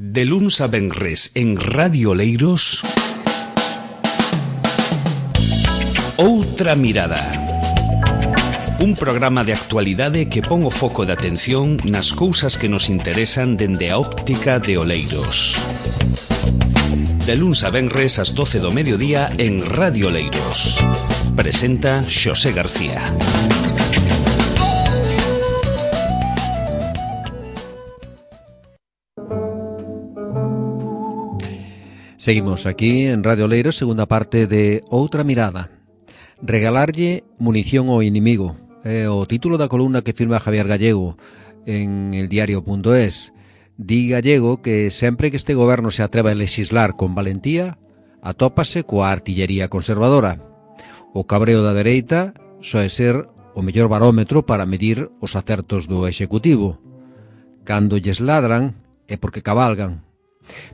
De luns a venres en Radio Oleiros, Outra Mirada. Un programa de actualidade que pon o foco de atención nas cousas que nos interesan dende a óptica de Oleiros. De luns a venres ás 12 do mediodía en Radio Oleiros. Presenta Xosé García. Seguimos aquí en Radio Oleiros, segunda parte de Outra Mirada. Regalarlle munición ao inimigo é o título da columna que firma Javier Gallego en eldiario.es. Di Gallego que sempre que este goberno se atreva a legislar con valentía, atópase coa artillería conservadora. O cabreo da dereita soe ser o mellor barómetro para medir os acertos do executivo. Cando lles ladran é porque cabalgan.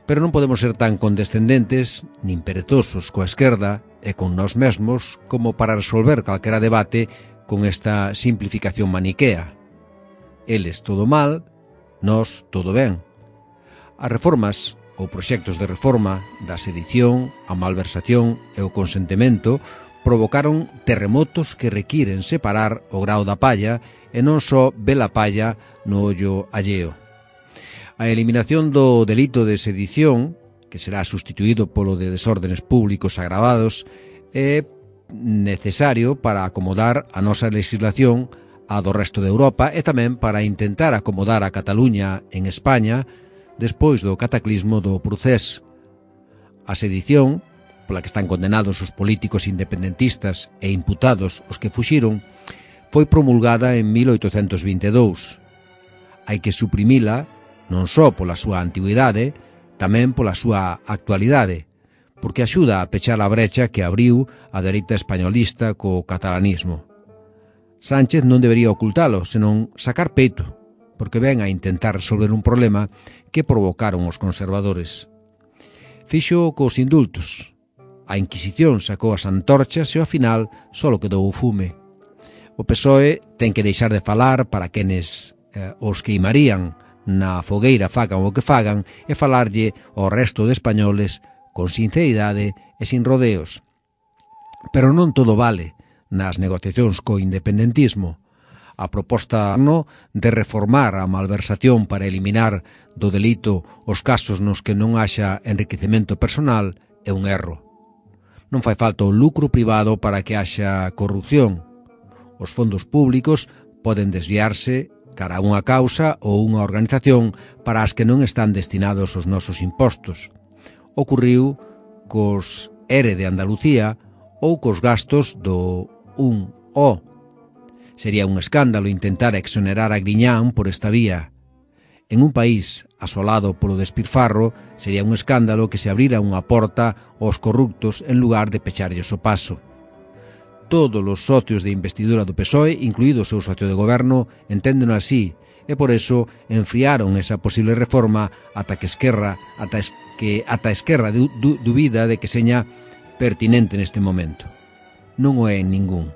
Pero non podemos ser tan condescendentes nin perezosos coa esquerda e con nós mesmos como para resolver calquera debate con esta simplificación maniquea. Eles todo mal, nós todo ben. As reformas ou proxectos de reforma da sedición, a malversación e o consentimento provocaron terremotos que requiren separar o grao da palla e non só ver a palla no ollo alleo. A eliminación do delito de sedición, que será sustituído polo de desórdenes públicos agravados, é necesario para acomodar a nosa legislación a do resto de Europa e tamén para intentar acomodar a Cataluña en España despois do cataclismo do Procés. A sedición, pola que están condenados os políticos independentistas e imputados os que fuxiron, foi promulgada en 1822. Hai que suprimila non só pola súa antigüidade, tamén pola súa actualidade, porque axuda a pechar a brecha que abriu a dereita españolista co catalanismo. Sánchez non debería ocultalo, senón sacar peito, porque ven a intentar resolver un problema que provocaron os conservadores. Fixo cos indultos. A Inquisición sacou as antorchas e ao final só quedou o fume. O PSOE ten que deixar de falar para quenes os queimarían na fogueira fagan o que fagan e falarlle ao resto de españoles con sinceridade e sin rodeos. Pero non todo vale nas negociacións co independentismo. A proposta de reformar a malversación para eliminar do delito os casos nos que non haxa enriquecemento personal é un erro. Non fai falta o lucro privado para que haxa corrupción. Os fondos públicos poden desviarse cara a unha causa ou unha organización para as que non están destinados os nosos impostos. Ocurriu cos ERE de Andalucía ou cos gastos do 1O. Sería un escándalo intentar exonerar a Griñán por esta vía. En un país asolado polo despilfarro, sería un escándalo que se abrira unha porta aos corruptos en lugar de pecharlles o paso. Todos os socios de investidura do PSOE, incluído o seu socio de goberno, enténdeno así, e por eso enfriaron esa posible reforma ata Esquerra dubida de que seña pertinente neste momento. Non o é en ningún.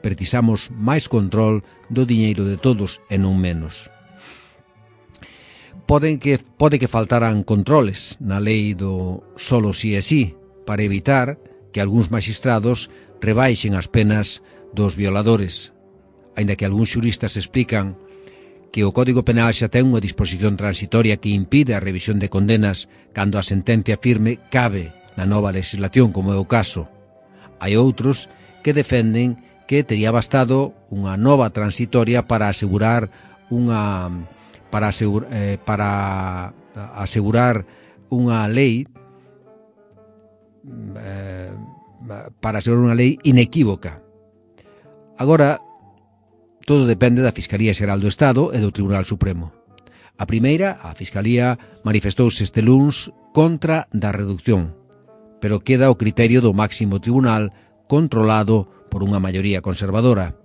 Precisamos máis control do diñeiro de todos e non menos. Pode que faltaran controles na lei do solo si é si, para evitar que algúns magistrados rebaixen as penas dos violadores, aínda que algúns xuristas explican que o Código Penal xa ten unha disposición transitoria que impide a revisión de condenas cando a sentencia firme cabe na nova legislación, como é o caso. Hai outros que defenden que tería bastado unha nova transitoria para asegurar unha lei inequívoca. Agora, todo depende da Fiscalía Xeral do Estado e do Tribunal Supremo. A primeira, a Fiscalía, manifestouse este luns contra da reducción, pero queda o criterio do máximo tribunal controlado por unha maioría conservadora.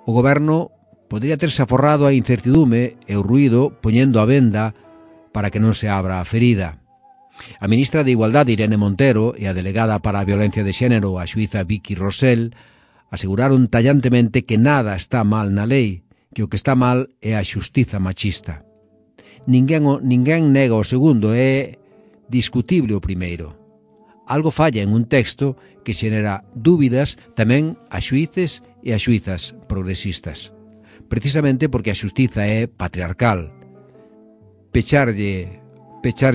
O goberno podría terse aforrado a incertidume e o ruído poñendo a venda para que non se abra a ferida. A ministra de Igualdade, Irene Montero, e a delegada para a violencia de xénero, a xuíza Vicky Rosell, aseguraron tallantemente que nada está mal na lei, que o que está mal é a xustiza machista. ninguén nega o segundo, é discutible o primeiro. Algo falla en un texto que xenera dúbidas tamén a xuíces e a xuízas progresistas. Precisamente porque a xustiza é patriarcal. Pecharlle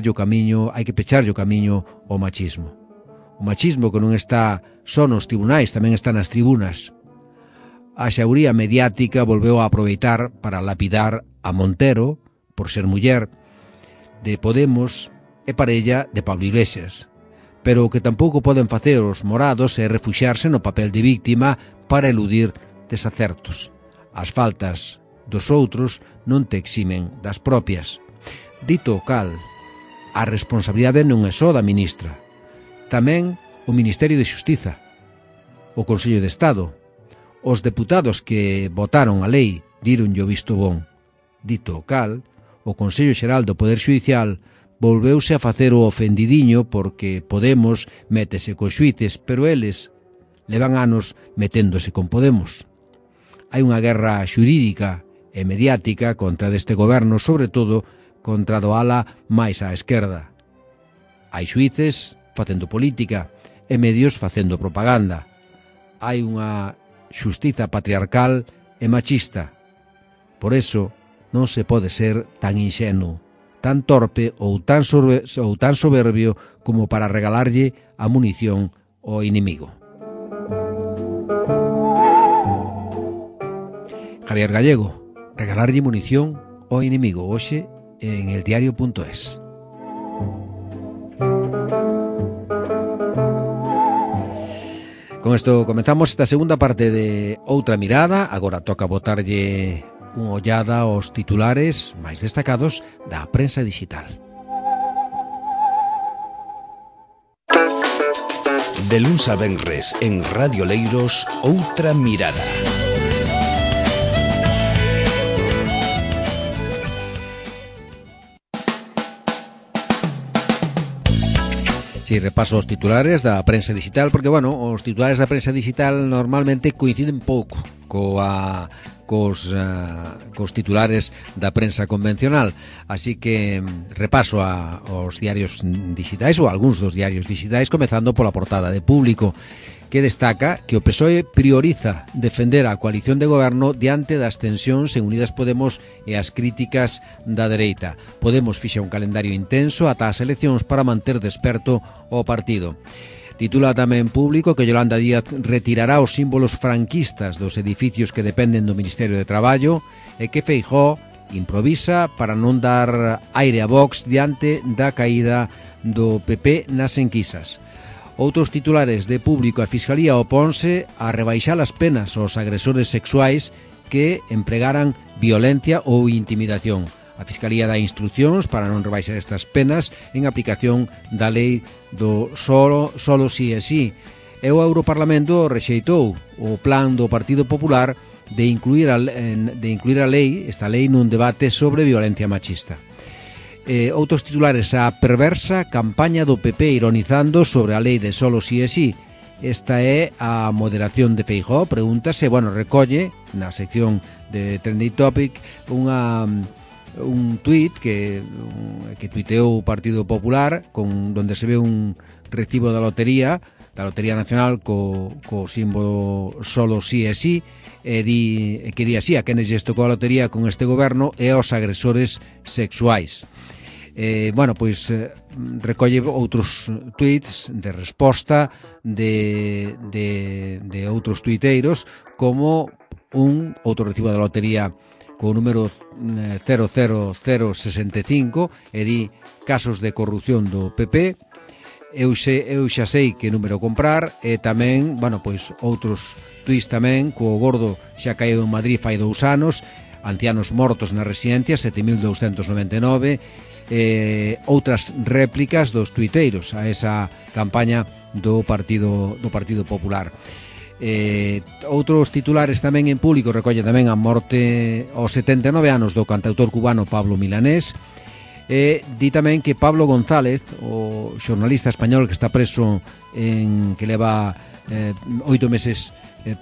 o camiño, hai que pecharlle o camiño ao machismo. O machismo que non está só nos tribunais, tamén está nas tribunas. A xauría mediática volveu a aproveitar para lapidar a Montero, por ser muller, de Podemos e parella de Pablo Iglesias. Pero o que tampouco poden facer os morados é refuxiarse no papel de víctima para eludir desacertos. As faltas dos outros non te eximen das propias. Dito o cal, a responsabilidade non é só da ministra, tamén o Ministerio de Xustiza, o Consello de Estado. Os deputados que votaron a lei díronlle o visto bon. Dito o cal, o Consello Xeral do Poder Xudicial volveuse a facer o ofendidiño porque Podemos métese cos xuíces, pero eles levan anos meténdose con Podemos. Hai unha guerra xurídica e mediática contra deste goberno, sobre todo contra do ala máis á esquerda. Hai xuíces facendo política e medios facendo propaganda. Hai unha xustiza patriarcal e machista. Por eso non se pode ser tan inxenuo, tan torpe ou tan soberbio como para regalarlle a munición ao inimigo. Javier Gallego, regalarlle munición ao inimigo, hoxe en eldiario.es. Con isto comenzamos esta segunda parte de Outra Mirada. Agora toca botarlle unha ollada aos titulares máis destacados da prensa digital. De luns a venres en Radio Leiros, Outra Mirada. Si repaso os titulares da prensa digital, porque, bueno, os titulares da prensa digital normalmente coinciden pouco cos titulares da prensa convencional, así que repaso aos diarios digitais ou algúns dos diarios digitais, comezando pola portada de Público, que destaca que o PSOE prioriza defender a coalición de goberno diante das tensións en Unidas Podemos e as críticas da dereita. Podemos fixa un calendario intenso ata as eleccións para manter desperto o partido. Titula tamén Público que Yolanda Díaz retirará os símbolos franquistas dos edificios que dependen do Ministerio de Traballo e que Feijóo improvisa para non dar aire a Vox diante da caída do PP nas enquisas. Outros titulares de Público: a Fiscalía oponse a rebaixar as penas aos agresores sexuais que empregaran violencia ou intimidación. A Fiscalía dá instruccións para non rebaixar estas penas en aplicación da lei do solo si é si. E o Europarlamento rexeitou o plan do Partido Popular de incluir a lei, esta lei, nun debate sobre violencia machista. Outros titulares: a perversa campaña do PP ironizando sobre a lei de solo si é si. Esta é a moderación de Feijóo. Pregúntase, recolle na sección de Trending Topic un tuit que tuiteou o Partido Popular donde se ve un recibo da Lotería Nacional co símbolo solo si é si, que di así: a quenes lles tocou a lotería con este goberno e aos agresores sexuais. Recolle outros tuits de resposta de outros tuiteiros, como outro recibo da lotería co número 00065 e di: casos de corrupción do PP, eu xa sei que número comprar. E tamén, outros tuits tamén, co gordo xa caído en Madrid fai 2 anos, ancianos mortos na residencia, 7.299, outras réplicas dos tuiteiros a esa campaña do Partido Popular. Outros titulares tamén en Público recolle tamén a morte aos 79 anos do cantautor cubano Pablo Milanés. Di tamén que Pablo González, o xornalista español que está preso, que leva 8 meses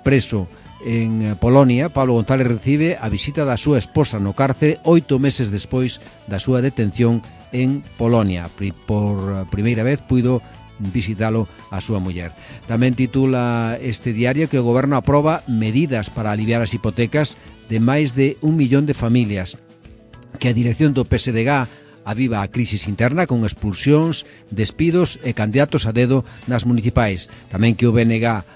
preso En Polonia, Pablo González recibe a visita da súa esposa no cárcere 8 meses despois da súa detención en Polonia. Por primeira vez puido visitalo a súa muller. Tamén titula este diario que o goberno aproba medidas para aliviar as hipotecas de máis de 1 millón de familias, que a dirección do PSDG aviva a crisis interna con expulsións, despidos e candidatos a dedo nas municipais. Tamén que o BNG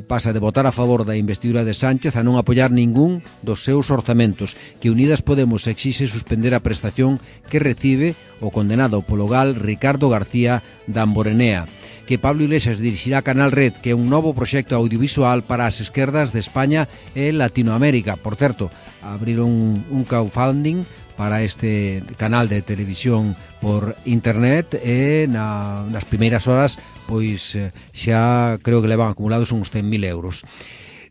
pasa de votar a favor da investidura de Sánchez a non apoiar ningún dos seus orzamentos, que Unidas Podemos exixe suspender a prestación que recibe o condenado polo gal Ricardo García Damborenea, que Pablo Iglesias dirixirá Canal Red, que é un novo proxecto audiovisual para as esquerdas de España e Latinoamérica. Por certo, abriron un crowdfunding para este canal de televisión por internet e nas primeiras horas pois xa creo que levan acumulados uns 100.000 euros.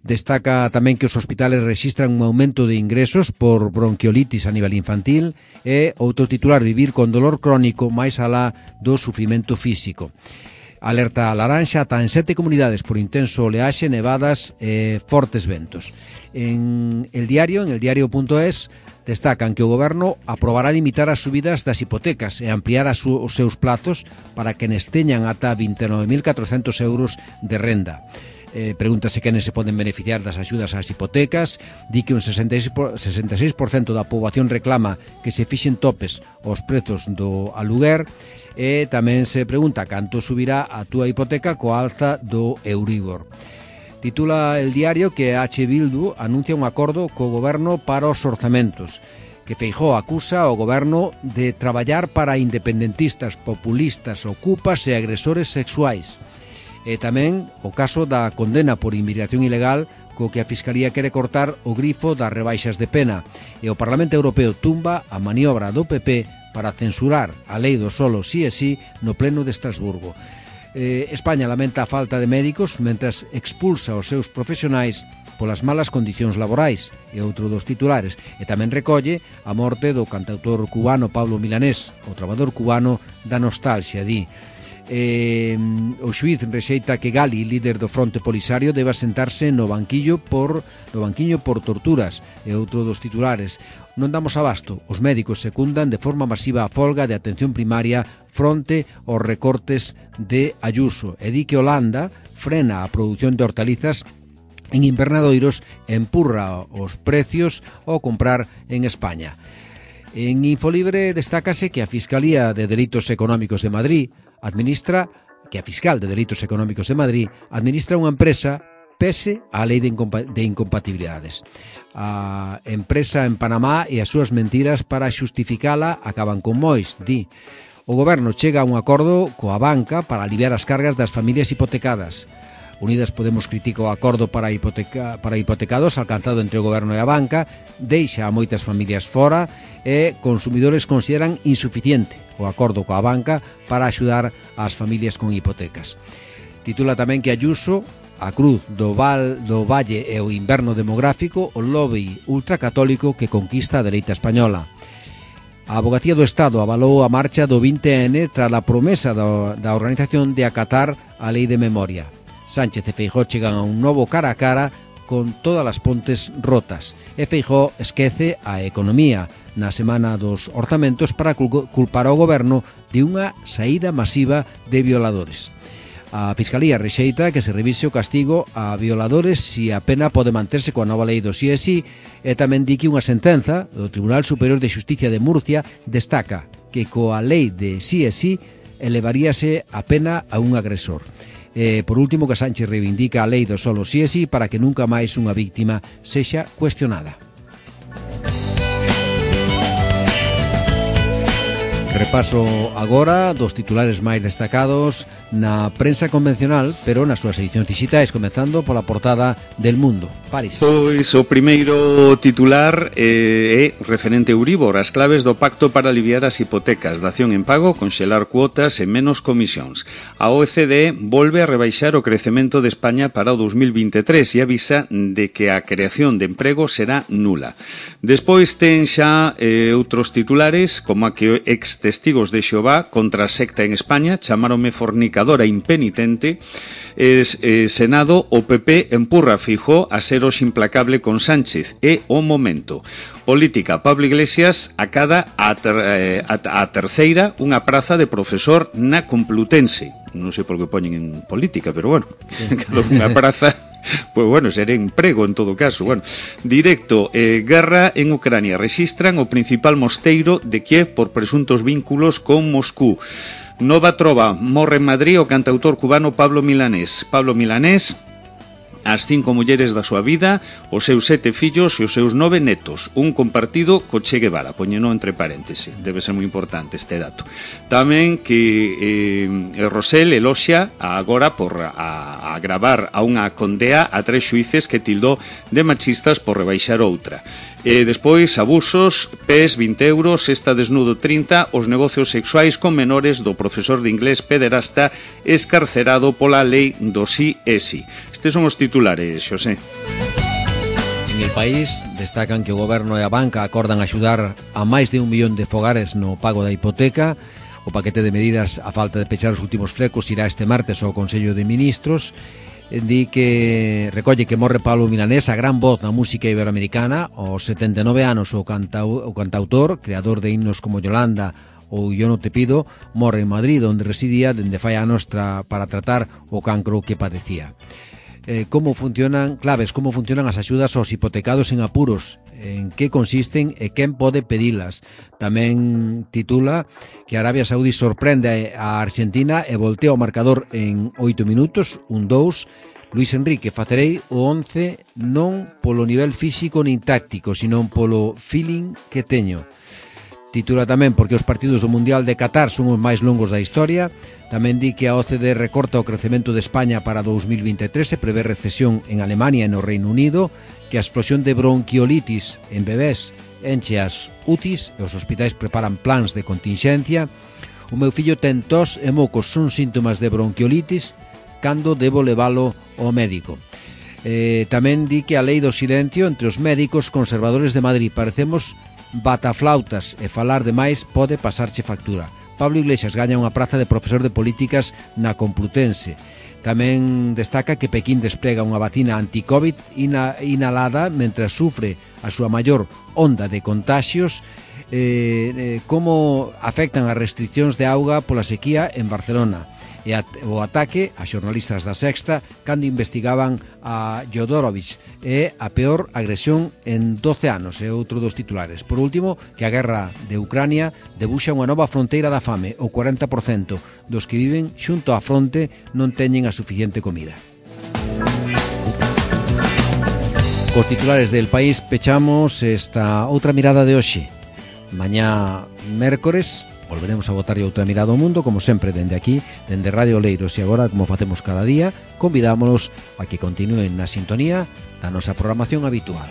Destaca tamén que os hospitales rexistran un aumento de ingresos por bronquiolitis a nivel infantil e outro titular, vivir con dolor crónico máis alá do sufrimento físico. Alerta laranxa ata en 7 comunidades por intenso oleaxe, nevadas e fortes ventos. En el diario.es, destacan que o goberno aprobará limitar as subidas das hipotecas e ampliar os seus plazos para quenes teñan ata 29.400 euros de renda. Pregúntase quenes se poden beneficiar das axudas ás hipotecas. Di que un 66% da poboación reclama que se fixen topes aos prezos do aluguer. E tamén se pregunta canto subirá a túa hipoteca coa alza do Euribor. Titula el diario que H. Bildu anuncia un acordo co goberno para os orzamentos, que Feijóo acusa ao goberno de traballar para independentistas, populistas, ocupas e agresores sexuais. E tamén o caso da condena por inmigración ilegal, co que a Fiscalía quere cortar o grifo das rebaixas de pena. E o Parlamento Europeo tumba a maniobra do PP para censurar a lei do solo sí e sí no pleno de Estrasburgo. España lamenta a falta de médicos mentras expulsa os seus profesionais polas malas condicións laborais, e outro dos titulares. E tamén recolle a morte do cantautor cubano Pablo Milanés, o trabador cubano da nostalgia, di. O xuíz rexeita que Gali, líder do Fronte Polisario, deba sentarse no banquiño por torturas, e outro dos titulares. Non damos abasto, os médicos secundan de forma masiva a folga de atención primaria fronte aos recortes de Ayuso, e di que Holanda frena a produción de hortalizas en invernadoiros e empurra os precios ao comprar en España. En Infolibre destácase que a Fiscalía de Delitos Económicos de Madrid administra unha empresa pese á lei de incompatibilidades. A empresa en Panamá e as súas mentiras para xustificala acaban con mois, di. O goberno chega a un acordo coa banca para aliviar as cargas das familias hipotecadas. Unidas Podemos critica o acordo para hipotecados alcanzado entre o goberno e a banca, deixa a moitas familias fora e consumidores consideran insuficiente o acordo coa banca para axudar ás familias con hipotecas. Titula tamén que Ayuso, a cruz do Valle e o inverno demográfico, o lobby ultracatólico que conquista a dereita española. A Abogacía do Estado avalou a marcha do 20N tras a promesa da organización de acatar a lei de memoria. Sánchez e Feijóo chegan a un novo cara a cara con todas as pontes rotas. E Feijóo esquece a economía na semana dos orzamentos para culpar ao goberno de unha saída masiva de violadores. A Fiscalía rexeita que se revise o castigo a violadores se a pena pode manterse coa nova lei do sí e sí, e tamén di que unha sentenza do Tribunal Superior de Xusticia de Murcia destaca que coa lei de sí e sí elevaríase a pena a un agresor. Por último, que Sánchez reivindica a lei do solo sí e sí para que nunca máis unha víctima sexa cuestionada. Repaso agora dos titulares máis destacados na prensa convencional, pero nas súas edicións digitais, comezando pola portada del Mundo. París. Pois o primeiro titular é referente a Euribor, as claves do pacto para aliviar as hipotecas, dación en pago, conxelar cuotas e menos comisións. A OECD volve a rebaixar o crecemento de España para o 2023 e avisa de que a creación de emprego será nula. Despois ten xa outros titulares, como a que Testigos de Xehová contra a secta en España, chamáronme fornicadora impenitente. Senado, o PP empurra a Feijóo a ser hoxe implacable con Sánchez. É o momento. Política, Pablo Iglesias acada a terceira unha praza de profesor na Complutense. Non sei por que poñen en política, pero bueno, sí. Cada unha praza, pues bueno, será emprego en todo caso. Sí. Bueno, directo, guerra en Ucrania. Rexistran o principal mosteiro de Kiev por presuntos vínculos con Moscú. Nova trova, morre en Madrid o cantautor cubano Pablo Milanés. Pablo Milanés, as 5 mulleres da súa vida, os seus 7 fillos e os seus 9 netos, un compartido co Che Guevara, poñeno entre paréntesis, debe ser moi importante este dato. Tamén que Rosell eloxia agora por agravar a unha condea a 3 xuíces que tildou de machistas por rebaixar outra. Despois, abusos, PES 20 euros, Sexta Desnudo 30, os negocios sexuais con menores do profesor de inglés pederasta escarcerado pola lei do sí e sí. Estes son os titulares, Xosé. En El País destacan que o goberno e a banca acordan axudar a máis de 1 millón de fogares no pago da hipoteca. O paquete de medidas a falta de pechar os últimos flecos irá este martes ao Consello de Ministros. Di que recolle que morre Pablo Milanés, a gran voz na música iberoamericana, aos 79 anos o cantautor, creador de himnos como Yolanda ou Yo no te pido, morre en Madrid, onde residía dende fai anos para tratar o cancro que padecía. Como funcionan as axudas aos hipotecados en apuros, en que consisten e quen pode pedilas. Tamén titula que Arabia Saudí sorprende a Argentina e voltea o marcador en 8 minutos, 1-2. Luis Enrique, facerei o 11 non polo nivel físico nin táctico, sino polo feeling que teño. Titula tamén porque os partidos do Mundial de Qatar son os máis longos da historia. Tamén di que a OCDE recorta o crecemento de España para 2023, se prevé recesión en Alemania e no Reino Unido, que a explosión de bronquiolitis en bebés enche as UTIs e os hospitais preparan plans de continxencia. O meu fillo ten tos e mocos, son síntomas de bronquiolitis, cando debo leválo ao médico. Tamén di que a lei do silencio entre os médicos conservadores de Madrid, parecemos bataflautas e falar demais pode pasarche factura. Pablo Iglesias gaña unha praza de profesor de políticas na Complutense. Tamén destaca que Pequín desprega unha vacina anti-Covid inhalada mentre sufre a súa maior onda de contaxios. Como afectan as restriccións de auga pola sequía en Barcelona. E o ataque a xornalistas da Sexta cando investigaban a Jodorowsky é a peor agresión en 12 anos, é outro dos titulares. Por último, que a guerra de Ucrania debuxa unha nova fronteira da fame. O 40% dos que viven xunto á fronte non teñen a suficiente comida. Cos titulares del País pechamos esta outra mirada de hoxe. Mañá mércores volveremos a botarlle outra mirada ao mundo, como sempre, dende aquí, dende Radio Oleiros, e agora, como facemos cada día, convidámonos a que continúen na sintonía da nosa programación habitual.